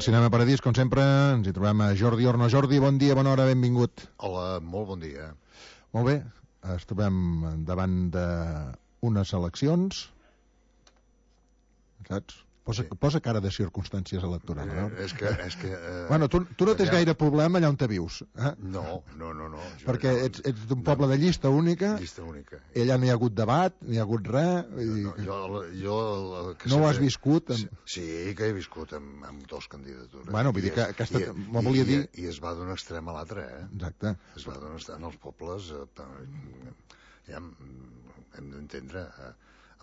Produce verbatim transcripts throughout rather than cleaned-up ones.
Al Cinema Paradís, com sempre, ens hi trobem a Jordi Orno. Jordi, bon dia, bona hora, benvingut. Hola, molt bon dia. Molt bé, ens trobem davant d'unes eleccions, saps? Posa, sí. posa cara de circumstàncies electorals. Eh, no? És que... És que eh, bueno, tu, tu no tens gaire problema allà on te vius. Eh? No, no, no. no. Perquè no, ets, ets d'un poble no, de llista única. Llista única. I allà no hi ha hagut debat, no hi ha hagut res. I... No, jo, jo, que no sempre... ho has viscut? Amb... Sí, que he viscut amb, amb dos candidatures. Bueno, vull dir que aquesta... I, i, volia i, dir... I es va d'un extrem a l'altre, eh? Exacte. Es va d'un extrem als pobles... Eh, ja hem d'entendre... Eh,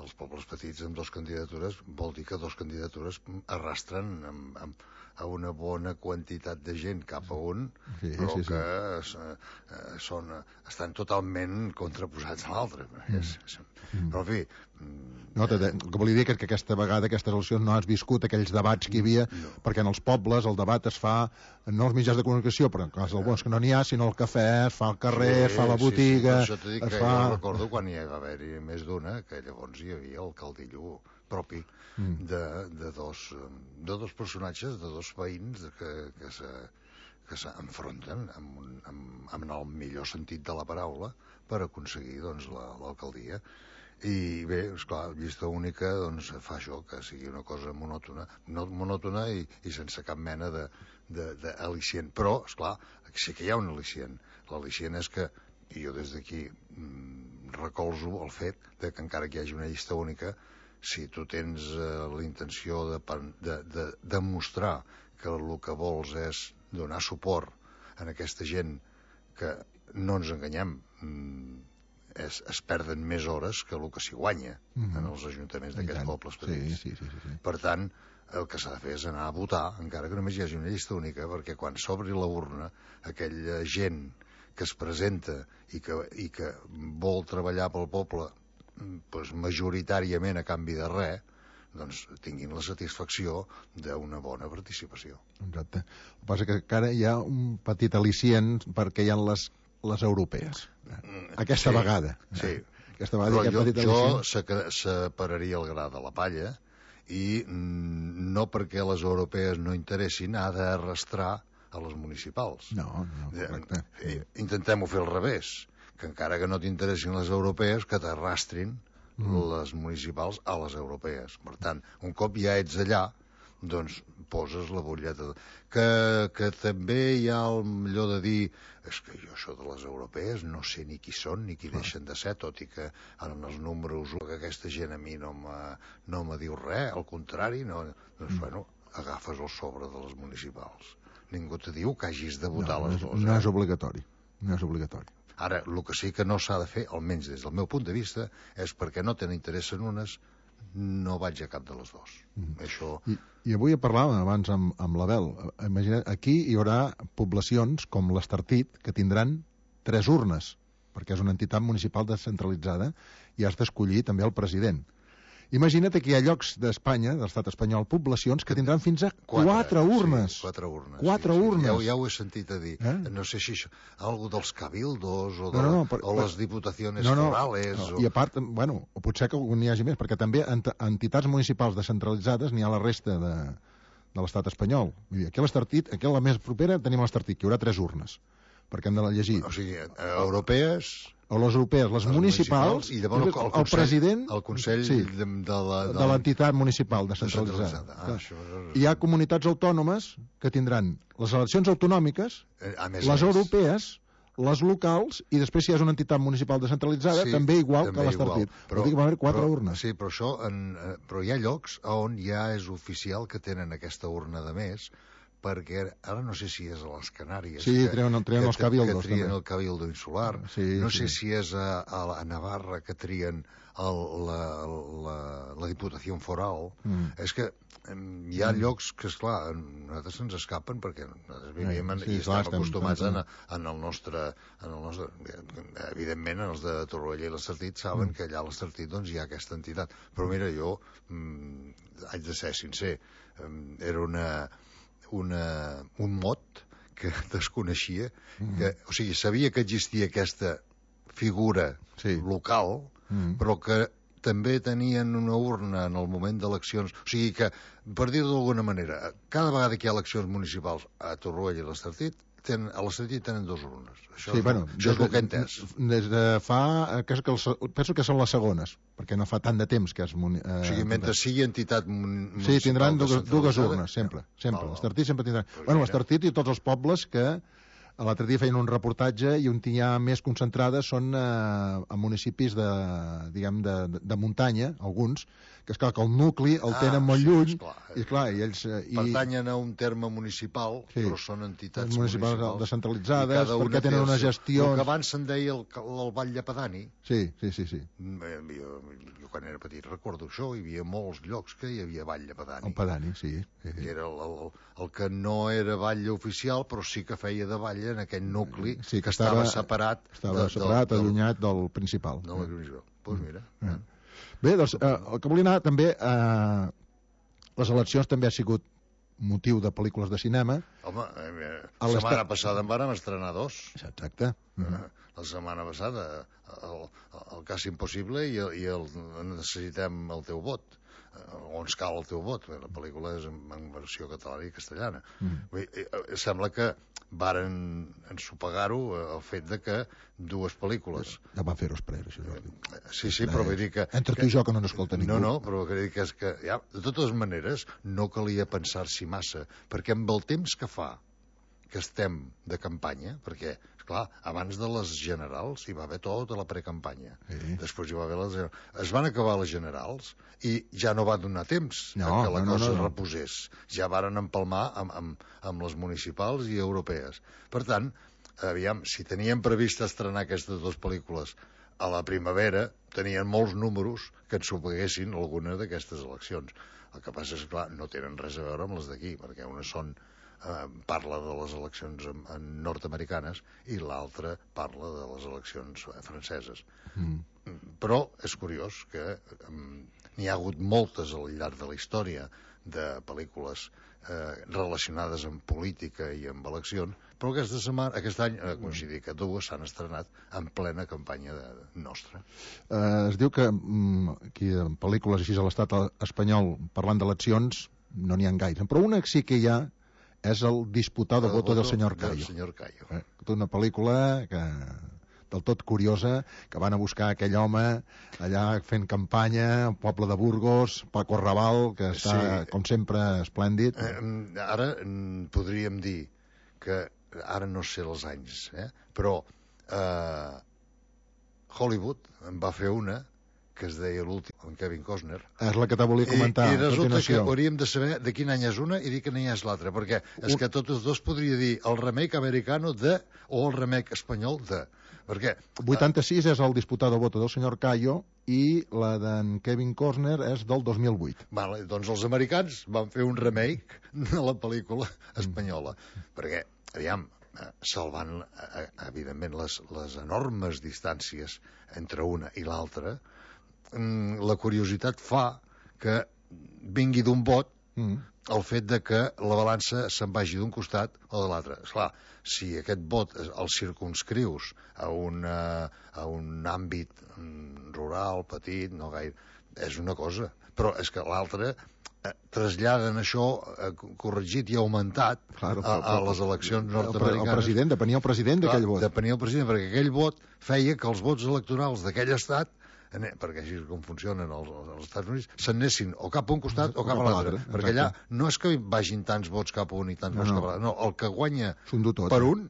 els pobles petits amb dues candidatures vol dir que dues candidatures arrastren amb, amb, a una bona quantitat de gent cap a un, sí, però sí, sí. que eh, són, estan totalment contraposats a l'altre. Mm. Mm. Però, en fi... No, te, el que volia dir és que aquesta vegada, aquestes eleccions, no has viscut aquells debats que hi havia, no. perquè en els pobles el debat es fa, no als mitjans de comunicació, però en cas del bons que no n'hi ha, sinó al cafè, es fa al carrer, sí, es fa a la botiga... Sí, sí. Això t'ho dic que fa... jo recordo quan hi va haver-hi més d'una, que llavors hi havia el caldillo propi mm. de, de, dos, de dos personatges, de dos veïns que, que se que s'enfronten amb, un, amb, amb el millor sentit de la paraula per aconseguir doncs, l'alcaldia. I bé, esclar, llista única doncs, fa això, que sigui una cosa monòtona, no monòtona i, i sense cap mena d'al·licient. Però, esclar, sí que hi ha un al·licient. L'al·licient és que, i jo des d'aquí mmm, recolzo el fet de que encara que hi hagi una llista única, si tu tens eh, la intenció de, de, de demostrar que el que vols és donar suport a aquesta gent que, no ens enganyem, mmm, es, es perden més hores que el que s'hi guanya mm-hmm. en els ajuntaments d'aquests pobles petits. Sí, sí, sí, sí, sí. Per tant, el que s'ha de fer és anar a votar, encara que només hi hagi una llista única, perquè quan s'obri la urna, aquella gent que es presenta i que, i que vol treballar pel poble doncs, majoritàriament a canvi de res, doncs tinguin la satisfacció d'una bona participació. Exacte. El que passa que encara hi ha un petit al·licient perquè hi ha les, les europees. Aquesta sí, vegada. Sí. Aquesta vegada però jo, jo separaria el gra de la palla i mm, no perquè les europees no interessin, ha d'arrastrar a les municipals. No, no, correcte. Eh, Intentem-ho fer al revés, que encara que no t'interessin les europees, que t'arrastrin mm. les municipals a les europees. Per tant, un cop ja ets allà, doncs poses la butlleta. Que, que també hi ha el millor de dir és que jo això de les europees no sé ni qui són ni qui deixen de ser, tot i que en els números que aquesta gent a mi no me, no me diu res, al contrari, no, doncs mm. bueno, agafes el sobre de les municipals. Ningú te diu que hagis de votar no, les no dues. No eh? és obligatori. No és obligatori. Ara, el que sí que no s'ha de fer, almenys des del meu punt de vista, és perquè no tenen interès en unes, no vaig a cap de les dues. Mm. Això... I, I avui parlàvem abans amb, amb l'Abel. Imagina't, aquí hi haurà poblacions com l'Estartit que tindran tres urnes, perquè és una entitat municipal descentralitzada i has d'escollir també el president. Imagina't que hi ha llocs d'Espanya, de l'estat espanyol, poblacions que tindran fins a quatre, quatre urnes. Sí, quatre urnes. Quatre sí, urnes. Sí. Ja, ja ho he sentit a dir. Eh? No sé si això, algo dels cabildos o, de, no, no, per, o les diputacions no, no, forales. No. O... I a part, bueno, potser que n'hi hagi més, perquè també ent entitats municipals descentralitzades n'hi ha a la resta de, de l'estat espanyol. Vull dir, aquí a l'Estartit, aquí a la més propera tenim l'Estartit, que hi haurà tres urnes, perquè hem de llegir. O sigui, europees... o les europees, les, les municipals, municipals i llavors el, el, el president el Consell sí, de, de l'entitat municipal descentralitzada. Ah, això... Hi ha comunitats autònomes que tindran les eleccions autonòmiques, eh, més les més. europees, les locals, i després si és una entitat municipal descentralitzada, sí, també igual també que l'Estartit. Vol dir que va haver quatre però, urnes. Sí, però, això en, però hi ha llocs on ja és oficial que tenen aquesta urna de més, perquè ara no sé si és a les Canàries sí, que, treuen, treuen que, els cabildos, que trien també. el cabildo insular, sí, no sí. sé si és a, a, a Navarra que trien el, la, la, la Diputació Foral. Mm. És que hi ha mm. llocs que, esclar, a nosaltres se'ns escapen perquè nosaltres vivim en, sí, i estem clar, acostumats estem... En, en, el nostre, en el nostre... Evidentment, en els de Torroella i l'Estartit saben mm. que allà a l'Estartit doncs, hi ha aquesta entitat. Però mira, jo mm, haig de ser sincer, era una... Una, un mot que desconeixia, mm. que, o sigui, sabia que existia aquesta figura sí. local, mm. però que també tenien una urna en el moment d'eleccions. O sigui que, per dir-ho d'alguna manera, cada vegada que hi ha eleccions municipals a Torroella i l'Estartit, tenen, a l'Estartit tenen dues urnes. Això, sí, és, bueno, això és el que he entès. Des de fa... Que, que els, penso que són les segones, perquè no fa tant de temps que és... Eh, o sigui, mentre sigui entitat municipal... Sí, tindran dues, dues urnes, sempre. sempre. Oh, L'Estartit sempre tindran... Pues bueno, l'Estartit i tots els pobles que l'altre dia feien un reportatge i on hi ha més concentrades són eh, a municipis de, diguem, de, de muntanya, alguns, que és clar que el nucli el ah, tenen molt sí, lluny, esclar, i clar, i ells... Eh, i... pertanyen a un terme municipal, sí, però són entitats municipals, municipals descentralitzades, perquè tenen una gestió... El que abans se'n deia el, el Vall Llepadani. Sí, sí, sí. sí. Jo, jo quan era petit recordo això, hi havia molts llocs que hi havia Vall Llepadani. El Padani, sí. sí. Que era el, el, el que no era batlle oficial, però sí que feia de batlle en aquell nucli sí, que, que estava, estava separat... Estava de, separat, del, allunyat del principal. No, la principal. Doncs pues mira... Mm. Eh. Bé, doncs, eh, el que volia anar també... Eh, les eleccions també ha sigut motiu de pel·lícules de cinema. Home, eh, la setmana passada en vàrem estrenar dos. Exacte. Mm-hmm. La setmana passada, el, el cas impossible i, el, i el, necessitem el teu vot. O ens cal el teu vot. La pel·lícula és en, en versió catalana i castellana. Mm. Sembla que varen ensopegar-ho el fet de que dues pel·lícules... Ja va fer-ho esperar, això, Jordi. Sí, sí, però vull dir que... Entre tu i jo, que no n'escolta ningú. No, no, però vull dir que és que, ja, de totes maneres, no calia pensar-s'hi massa, perquè amb el temps que fa que estem de campanya, perquè, esclar, abans de les generals hi va haver tota la precampanya. Sí. Després hi va haver les generals. Es van acabar les generals i ja no va donar temps no, que la no, cosa no, no. reposés. Ja varen empalmar amb, amb, amb les municipals i europees. Per tant, aviam, si teníem previst estrenar aquestes dues pel·lícules a la primavera, tenien molts números que ensopeguessin alguna d'aquestes eleccions. El que passa és que, clar, no tenen res a veure amb les d'aquí, perquè unes són Uh, parla de les eleccions en, en nord-americanes i l'altra parla de les eleccions franceses. Mm. Però és curiós que um, n'hi ha hagut moltes al llarg de la història de pel·lícules uh, relacionades amb política i amb eleccions, però aquesta setmana, aquest any, uh, coincidir que dues s'han estrenat en plena campanya de, de nostra. Uh, es diu que um, aquí en pel·lícules així a l'estat espanyol parlant d'eleccions no n'hi ha gaire, però una sí que hi ha és el Disputado voto del senyor Cayo. Senyor Cayo. Eh, una pel·lícula que, del tot curiosa, que van a buscar aquell home allà fent campanya, al poble de Burgos, Paco Raval, que està, sí, com sempre, esplèndid. Eh, ara podríem dir que, ara no sé els anys, eh, però eh, Hollywood en va fer una que es deia l'últim, en Kevin Costner. És la que te volia comentar. I, i resulta que hauríem de saber de quin any és una i de quin any és l'altra, perquè és que tots dos podria dir el remake americano de o el remake espanyol de... Perquè... vuitanta-sis és el Disputado voto del senyor Cayo i la d'en Kevin Costner és del dos mil vuit. Vale, doncs els americans van fer un remake de la pel·lícula espanyola, mm. perquè, aviam, salvant, evidentment, les, les enormes distàncies entre una i l'altra, la curiositat fa que vingui d'un vot mm. el fet de que la balança se'n vagi d'un costat o de l'altre. Esclar, si aquest vot el circumscrius a, una, a un àmbit rural, petit, no gaire, és una cosa, però és que l'altre eh, traslladen això eh, corregit i augmentat claro, a, a les eleccions nord-americanes. El president, depenia el president d'aquell vot. Depenia el president, perquè aquell vot feia que els vots electorals d'aquell estat, perquè així com funcionen els, els Estats Units, s'anessin o cap a un costat o cap a l'altre, perquè allà no és que vagin tants vots cap a un i tants no, vots no. cap a l'altre, no, el que guanya tot, per eh? un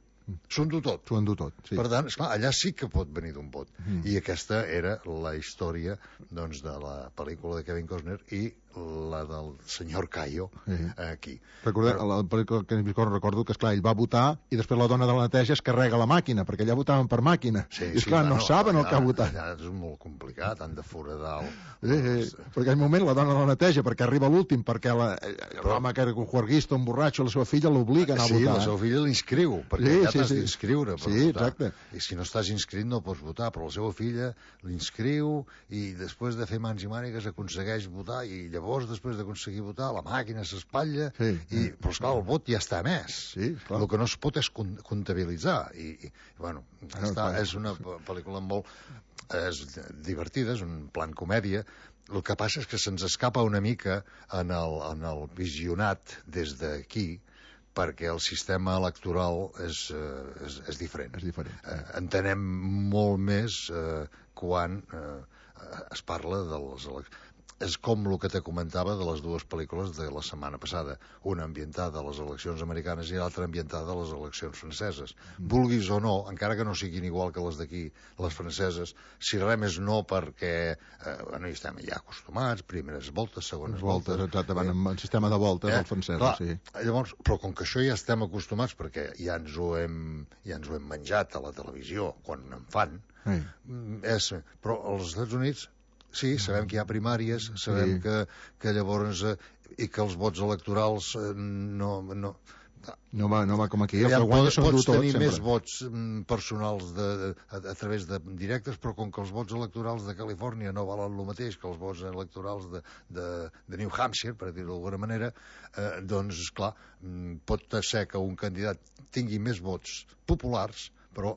s'ho endú tot. S'ho endú tot, sí. Per tant, esclar, allà sí que pot venir d'un vot. Mm. I aquesta era la història doncs, de la pel·lícula de Kevin Costner i la del senyor Cayo sí. aquí. Recordem, Però... la pel·lícula de Kevin Costner recordo que, esclar, ell va votar i després la dona de la neteja es carrega la màquina, perquè allà votaven per màquina. Sí, I, esclar, sí, no, no saben allà, el que ha votat. Allà és molt complicat, han de foradar el... Sí, sí. Perquè en moment la dona de la neteja, perquè arriba l'últim, perquè l'home que era un juerguista, un borratxo, la seva filla l'obliga a anar sí, a votar. Sí, la seva filla l'inscriu, perquè sí, ja sí, t'has sí. d'inscriure per sí, votar. Exacte. I si no estàs inscrit no pots votar, però la seva filla l'inscriu i després de fer mans i mànigues aconsegueix votar i llavors llavors, després d'aconseguir votar, la màquina s'espatlla, sí, i, sí. però esclar, el vot ja està emès. Sí, clar. El que no es pot és comptabilitzar. I, i bueno, Ah, està, clar. és una pel·lícula molt és divertida, és un plan comèdia. El que passa és que se'ns escapa una mica en el, en el visionat des d'aquí, perquè el sistema electoral és, eh, és, és diferent. És diferent. Eh, entenem molt més eh, quan eh, es parla de les eleccions. És com el que te comentava de les dues pel·lícules de la setmana passada, una ambientada a les eleccions americanes i l'altra ambientada a les eleccions franceses. Mm. Vulguis o no, encara que no siguin igual que les d'aquí, les franceses, si res més no perquè eh, bueno, hi estem ja acostumats, primeres voltes, segones voltes... voltes exactament, amb el sistema de voltes eh? del francès, Clar, sí. Llavors, però com que això ja estem acostumats, perquè ja ens ho hem, ja ens ho hem menjat a la televisió, quan en fan, Sí. és, però als Estats Units sí, sabem que hi ha primàries, sabem sí. que, que llavors eh, i que els vots electorals eh, no, no, no, va, no va com aquí, el que guanya són pots tot, tenir sempre. més vots mm, personals de, de, a, a través de directes, però com que els vots electorals de Califòrnia no valen el mateix que els vots electorals de, de, de New Hampshire, per dir-ho d'alguna manera, eh, doncs, esclar, mm, pot ser que un candidat tingui més vots populars, però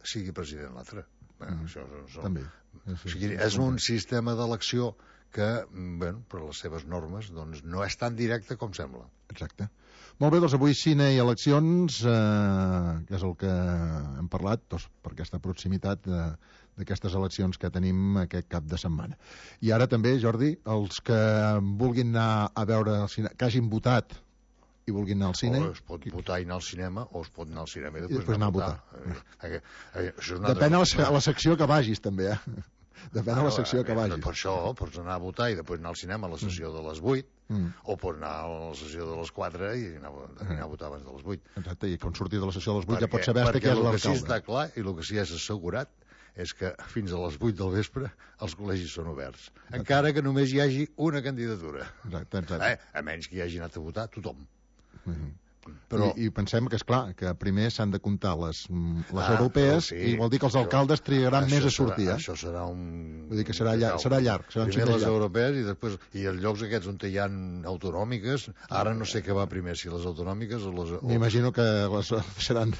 sigui president l'altre. Eh, mm. Això és, També. O sigui, és un sistema d'elecció que, bueno, per les seves normes, doncs, no és tan directe com sembla. Exacte. Molt bé, doncs avui cine i eleccions, eh, que és el que hem parlat, doncs, per aquesta proximitat de, d'aquestes eleccions que tenim aquest cap de setmana. I ara també, Jordi, els que vulguin anar a veure el cine, que hagin votat i vulguin anar al cine... O es pot votar i anar al cinema, o es pot anar al cinema i després, I després anar a votar. votar. Eh, eh, això és Depèn de la, la secció que vagis, també, eh? Depèn ah, de la secció eh, que vagis. Per això pots anar a votar i després anar al cinema a la sessió mm. de les vuit, mm. o pots anar a la sessió de les quatre i anar, anar a votar abans de les vuit. Exacte, i quan surti de la sessió de les vuit perquè, ja pots saber què és l'alcalde. Perquè el que sí està clar, i el que sí és assegurat, és que fins a les vuit del vespre els col·legis són oberts. Exacte. Encara que només hi hagi una candidatura. Exacte, exacte. Eh? A menys que hi hagi anat a votar tothom. Mm-hmm. Però... I, I pensem que, és clar, que primer s'han de comptar les, les ah, europees sí, i vol dir que els alcaldes trigaran més a sortir. Serà, eh? Això serà un... Vull dir que serà, llarg, serà llarg. Serà primer les llarg. Europees i després... I els llocs aquests on hi ha autonòmiques, ara no sé què va primer, si les autonòmiques o les... O... M'imagino que les seran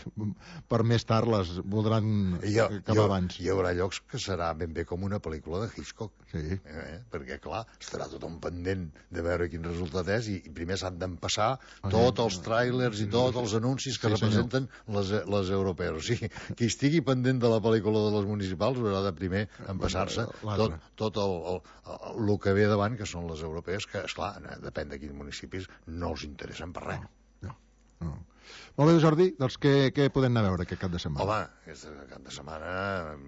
per més tard, les voldran ha, acabar ha, abans. Hi haurà llocs que serà ben bé com una pel·lícula de Hitchcock. Sí. Eh? Perquè, clar, estarà tothom pendent de veure quin resultat és i, i primer s'han d'empassar ah, tots els trailers i tots els anuncis que sí, representen les, les europees. O sigui, qui estigui pendent de la pel·lícula de les municipals haurà de primer empassar-se tot, tot el, el, el, el que ve davant, que són les europees, que, esclar, depèn de quins municipis, no els interessen per res. No, no, no. Molt bé, Jordi, doncs què, què podem anar a veure aquest cap de setmana? Home, aquest cap de setmana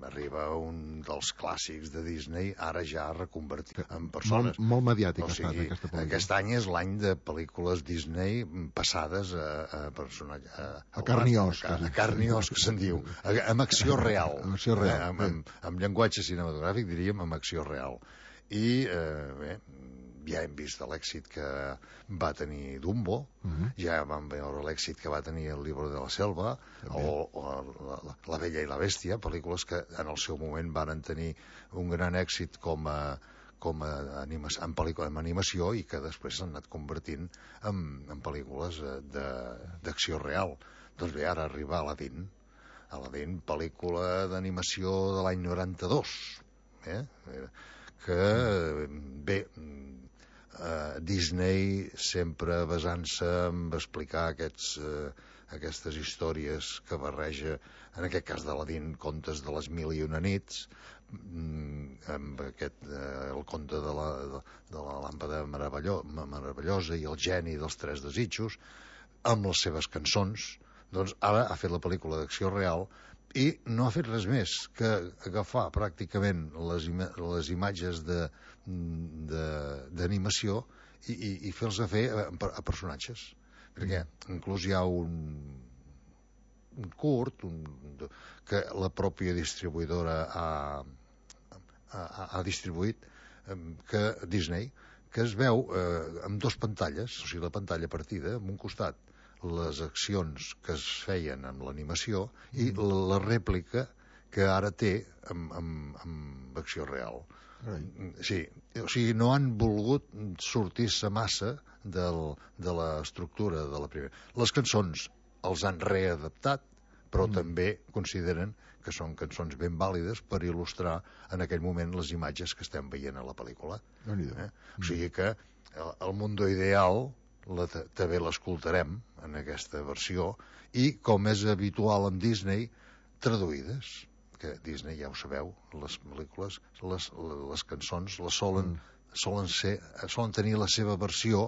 arriba un dels clàssics de Disney, ara ja reconvertit en persones. Molt, molt mediàtic o ha estat sigui, aquesta pel·lícula. Aquest any és l'any de pel·lícules Disney passades a, a personatge... A, a carn i os. A, a carn i os, que se'n diu. A, amb acció real. Amb acció real. Eh, amb, amb, amb llenguatge cinematogràfic, diríem, amb acció real. I, eh, bé, ja hem vist l'èxit que va tenir Dumbo, uh -huh. ja vam veure l'èxit que va tenir el Libro de la Selva, també. o, o la, la, la Bella i la Bèstia, pel·lícules que en el seu moment van tenir un gran èxit com a, com a anima, en, pel·lícula, en animació i que després s'han anat convertint en, en pel·lícules d'acció real. Doncs bé, ara arriba Aladdin, Aladdin, pel·lícula d'animació de l'any noranta-dos, eh? que, bé, Uh, Disney sempre basant-se en explicar aquests, uh, aquestes històries que barreja, en aquest cas d'Aladín, contes de les mil i una nits, mm, amb aquest, uh, el conte de la, de, de la làmpada meravello, meravellosa i el geni dels tres desitjos, amb les seves cançons. Doncs ara ha fet la pel·lícula d'acció real i no ha fet res més que agafar pràcticament les, ima les imatges de d'animació i, i, i fer-los a fer a, a personatges, perquè inclús hi ha un un curt un, que la pròpia distribuïdora ha, ha, ha distribuït, que Disney, que es veu eh, amb dos pantalles, o sigui, la pantalla partida, en un costat les accions que es feien amb l'animació i la, la rèplica que ara té amb, amb, amb acció real. Sí, o sigui, no han volgut sortir-se massa del, de l'estructura de la primera. Les cançons els han readaptat, però mm. també consideren que són cançons ben vàlides per il·lustrar en aquell moment les imatges que estem veient a la pel·lícula. Eh? Mm. O sigui que el, el Mundo Ideal la, també l'escoltarem en aquesta versió, i com és habitual amb Disney, traduïdes, que Disney, ja ho sabeu, les pel·lícules, les, les cançons les solen, mm. solen, ser, solen tenir la seva versió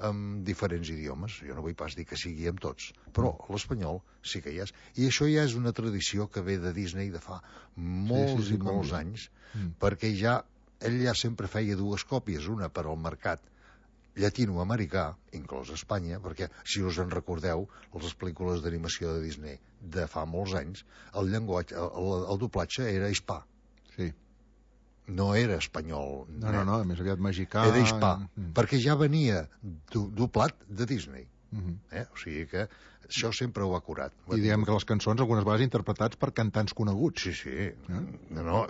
amb diferents idiomes. Jo no vull pas dir que sigui amb tots, però l'espanyol sí que hi és. I això ja és una tradició que ve de Disney de fa molts sí, sí, sí, i molts anys, mm. perquè ja ell ja sempre feia dues còpies, una per al mercat llatinoamericà, inclòs Espanya, perquè, si us en recordeu, les pel·lícules d'animació de Disney de fa molts anys, el llenguatge, el, el doblatge era hispà. Sí. No era espanyol. No, no, no, més aviat mexicà. Era hispà, mm. perquè ja venia do, doblat de Disney. Mm -hmm. eh? O sigui que això sempre ho ha curat. I diguem que les cançons algunes vegades interpretats per cantants coneguts. Sí, sí. Eh? No, no,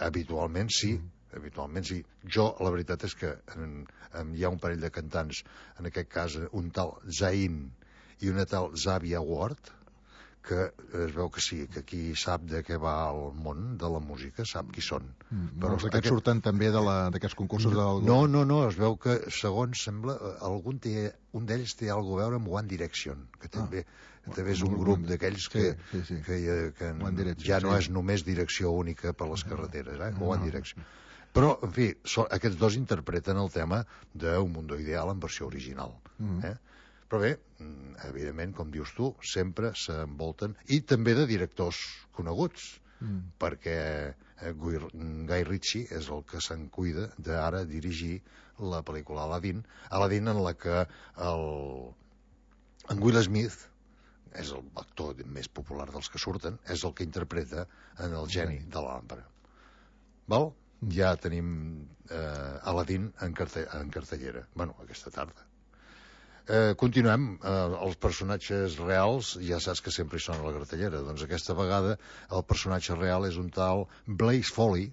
habitualment sí. Mm. habitualment sí. Jo, la veritat és que en, en, hi ha un parell de cantants, en aquest cas un tal Zayn i una tal Zavia Ward, que es veu que sí, que qui sap de què va el món de la música sap qui són. Mm, però aquests aquest... surten també d'aquests concursos no, del... No, no, no, es veu que, segons sembla, algun té, un d'ells té alguna a veure amb One Direction, que també, ah, també és un grup d'aquells que, sí, sí, sí. que, que, que ja no és només direcció única per les carreteres, eh? No, One Direction. Però, en fi, so, aquests dos interpreten el tema d'un Mundo Ideal en versió original. Mm. Eh? Però bé, evidentment, com dius tu, sempre s'envolten, i també de directors coneguts, mm. perquè Guy Ritchie és el que se'n cuida d'ara dirigir la pel·lícula Aladdin, Aladdin en la que el, en Will Smith és l'actor més popular dels que surten, és el que interpreta en el geni de la làmpara. Val? Ja tenim eh, Aladdin en, carte en cartellera. Bueno, aquesta tarda. Eh, continuem. Eh, els personatges reals, ja saps que sempre hi són a la cartellera. Doncs aquesta vegada el personatge real és un tal Blaze Foley,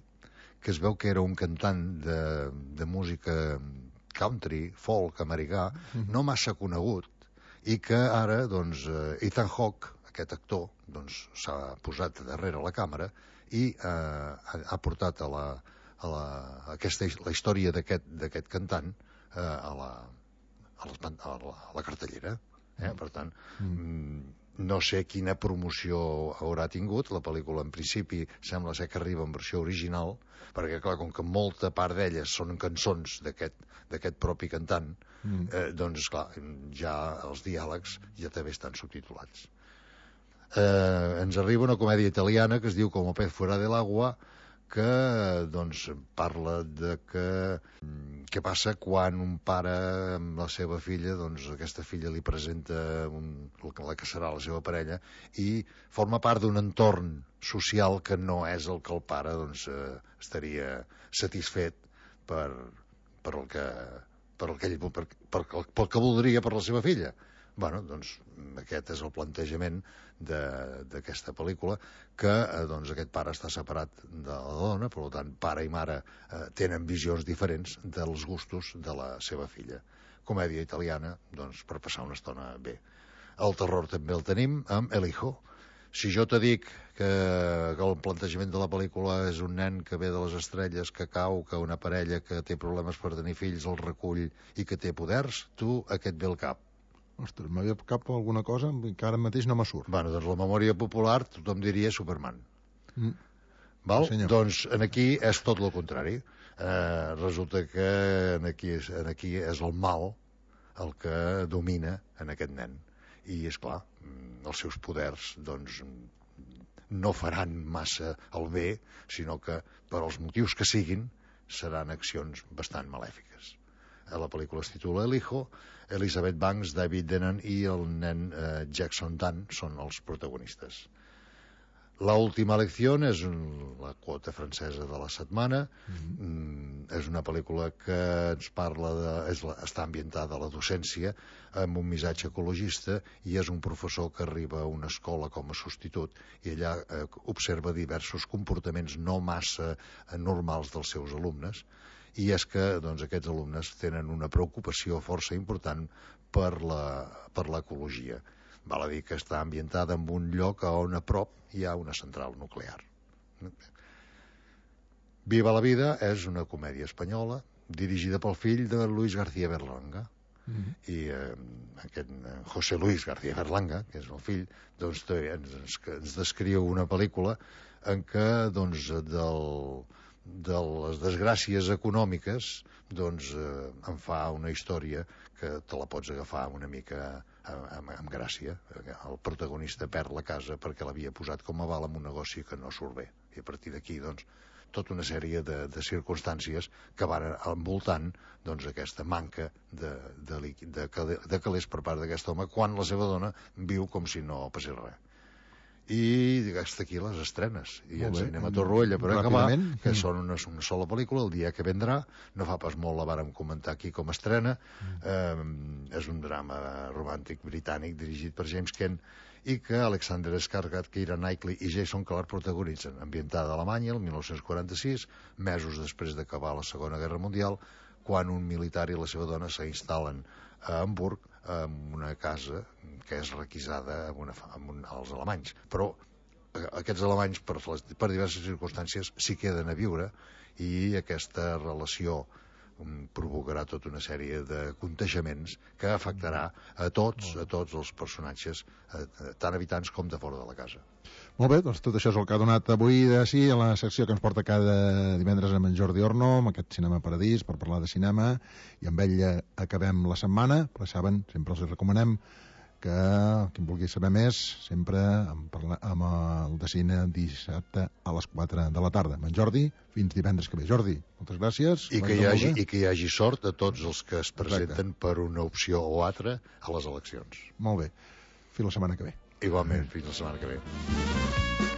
que es veu que era un cantant de, de música country, folk, americà, mm-hmm. no massa conegut, i que ara, doncs, Ethan Hawke, aquest actor, doncs, s'ha posat darrere la càmera i eh, ha portat a la a la, a aquesta, la història d'aquest cantant eh, a, la, a, les, a, la, a la cartellera. Eh? Mm. Per tant, mm. no sé quina promoció haurà tingut. La pel·lícula, en principi, sembla ser que arriba en versió original, perquè, clar, com que molta part d'elles són cançons d'aquest propi cantant, mm. eh, doncs, clar, ja els diàlegs ja també estan subtitulats. Eh, ens arriba una comèdia italiana que es diu Como pez fuera del agua, que doncs, parla de que què passa quan un pare amb la seva filla, doncs aquesta filla li presenta un, la que serà la seva parella, i forma part d'un entorn social que no és el que el pare doncs, eh, estaria satisfet per, per, el que, per, el que ell, per, per, per, per el que voldria per la seva filla. Bueno, doncs aquest és el plantejament d'aquesta pel·lícula, que eh, doncs, aquest pare està separat de la dona, per tant, pare i mare eh, tenen visions diferents dels gustos de la seva filla. Comèdia italiana, doncs, per passar una estona bé. El terror també el tenim amb El Hijo. Si jo te dic que, que el plantejament de la pel·lícula és un nen que ve de les estrelles, que cau, que una parella que té problemes per tenir fills el recull i que té poders, tu aquest ve al cap. Ostres, m'havia cap alguna cosa que ara mateix no me surt. Bueno, doncs la memòria popular tothom diria Superman. Mm. Val? Sí, doncs en aquí és tot el contrari. Eh, resulta que en aquí, en aquí és el mal el que domina en aquest nen. I, és clar, els seus poders doncs, no faran massa el bé, sinó que per als motius que siguin seran accions bastant malèfiques. A la pel·lícula es titula El Hijo. Elizabeth Banks, David Tennant i el nen eh, Jackson Dunn són els protagonistes. La última lecció és la quota francesa de la setmana. Mm-hmm. Mm, és una pel·lícula que ens parla de... És la, està ambientada a la docència amb un missatge ecologista, i és un professor que arriba a una escola com a substitut i allà eh, observa diversos comportaments no massa normals dels seus alumnes, i és que doncs, aquests alumnes tenen una preocupació força important per la, per l'ecologia. Val a dir que està ambientada en un lloc on a prop hi ha una central nuclear. Viva la vida és una comèdia espanyola dirigida pel fill de Luis García Berlanga. Mm-hmm. I eh, aquest eh, José Luis García Berlanga, que és el fill, doncs, ens, ens descriu una pel·lícula en què doncs, del, de les desgràcies econòmiques doncs, eh, en fa una història que te la pots agafar una mica amb, amb gràcia. El protagonista perd la casa perquè l'havia posat com a val en un negoci que no surt bé, i a partir d'aquí doncs, tota una sèrie de, de circumstàncies que van envoltant doncs, aquesta manca de, de, de, de calés per part d'aquest home, quan la seva dona viu com si no passés res. I hasta aquí les estrenes, i ens anem a Torroella per acabar, que mm. són una, una sola pel·lícula, El dia que vendrà. No fa pas molt la vàrem comentar aquí com a estrena. mm. eh, és un drama romàntic britànic dirigit per James Kent, i que Alexander Skarsgård, Keira Knightley i Jason Clarke protagonitzen, ambientada a Alemanya el mil nou-cents quaranta-sis, mesos després d'acabar la Segona Guerra Mundial, quan un militar i la seva dona s'instal·len a Hamburg en una casa que és requisada amb una, amb un, als alemanys, però aquests alemanys per, per diverses circumstàncies s'hi queden a viure, i aquesta relació um, provocarà tota una sèrie de contagiaments que afectarà a tots, a tots els personatges, eh, tant habitants com de fora de la casa. Molt bé, doncs tot això és el que ha donat avui de sí a la secció que ens porta cada divendres amb en Jordi Orno, amb aquest Cinema Paradís, per parlar de cinema, i amb ell acabem la setmana, però saben, sempre els recomanem que qui en vulgui saber més, sempre amb, parla, amb el de cine dissabte a les quatre de la tarda. Amb en Jordi, fins divendres que ve. Jordi, moltes gràcies. I que, hi hagi, I que hi hagi sort a tots els que es presenten Exacte. Per una opció o altra a les eleccions. Molt bé. Fins la setmana que ve. Igualment, fins la setmana que ve.